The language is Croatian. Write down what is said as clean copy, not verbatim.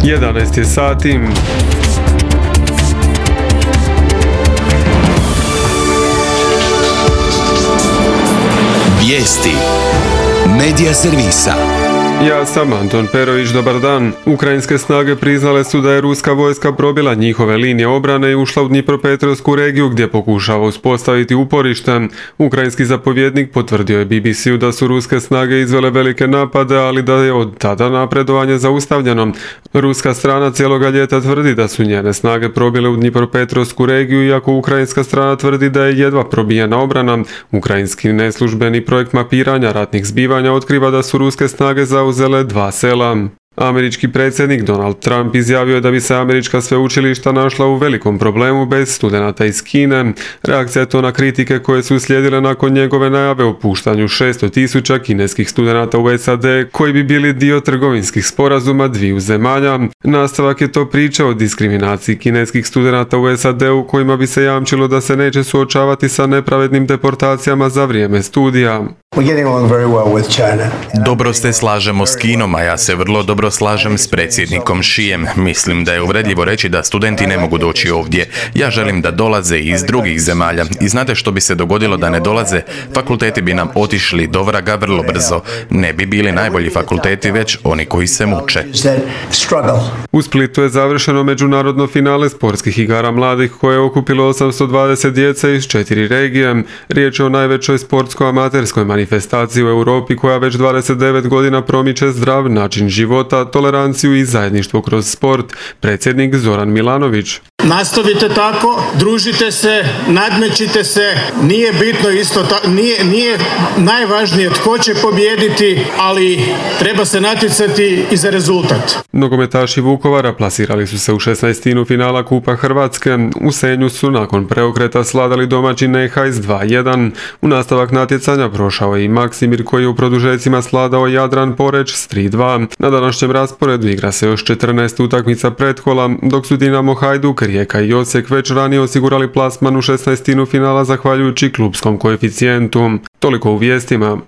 11 je sati. Vijesti Medija servisa. Ja sam Anton Perović, dobar dan. Ukrajinske snage priznale su da je ruska vojska probila njihove linije obrane i ušla u Dnipropetrovsku regiju gdje pokušava uspostaviti uporište. Ukrajinski zapovjednik potvrdio je BBC-u da su ruske snage izvele velike napade, ali da je od tada napredovanje zaustavljeno. Ruska strana cijeloga ljeta tvrdi da su njene snage probile u Dnipropetrovsku regiju, iako ukrajinska strana tvrdi da je jedva probijena obrana. Ukrajinski neslužbeni projekt mapiranja ratnih zbivanja otkriva da su ruske snage zauzele 2 sela. Američki predsjednik Donald Trump izjavio je da bi se američka sveučilišta našla u velikom problemu bez studenata iz Kine. Reakcija je to na kritike koje su slijedile nakon njegove najave o puštanju 600.000 kineskih studenata u SAD koji bi bili dio trgovinskih sporazuma dviju zemalja. Nastavak je to priča o diskriminaciji kineskih studenata u SAD-u kojima bi se jamčilo da se neće suočavati sa nepravednim deportacijama za vrijeme studija. Dobro se slažemo s Kinom, a ja se vrlo dobro slažem s predsjednikom Xijem. Mislim da je uvredljivo reći da studenti ne mogu doći ovdje. Ja želim da dolaze iz drugih zemalja. I znate što bi se dogodilo da ne dolaze? Fakulteti bi nam otišli do vraga vrlo brzo. Ne bi bili najbolji fakulteti, već oni koji se muče. U Splitu je završeno međunarodno finale sportskih igara mladih koje je okupilo 820 djece iz 4 regije. Riječ je o najvećoj sportsko-amaterskoj manifestaciji u Europi koja već 29 godina promiče zdrav način života, toleranciju i zajedništvo kroz sport. Predsjednik Zoran Milanović. Nastavite tako, družite se, nadmećite se, nije bitno nije najvažnije tko će pobijediti, ali treba se natjecati i za rezultat. Nogometaši Vukovara plasirali su se u 16. finala Kupa Hrvatske. U Senju su nakon preokreta sladali domaći Nehajs 2-1. U nastavak natjecanja prošao je i Maksimir koji je u produžecima sladao Jadran Poreć s 3-2. Na današnjem rasporedu igra se još 14 utakmica pretkola, dok su Dinamo, Hajduk, Rijeka i Osijek već ranije osigurali plasman u 16. finala zahvaljujući klupskom koeficijentu. Toliko u vijestima.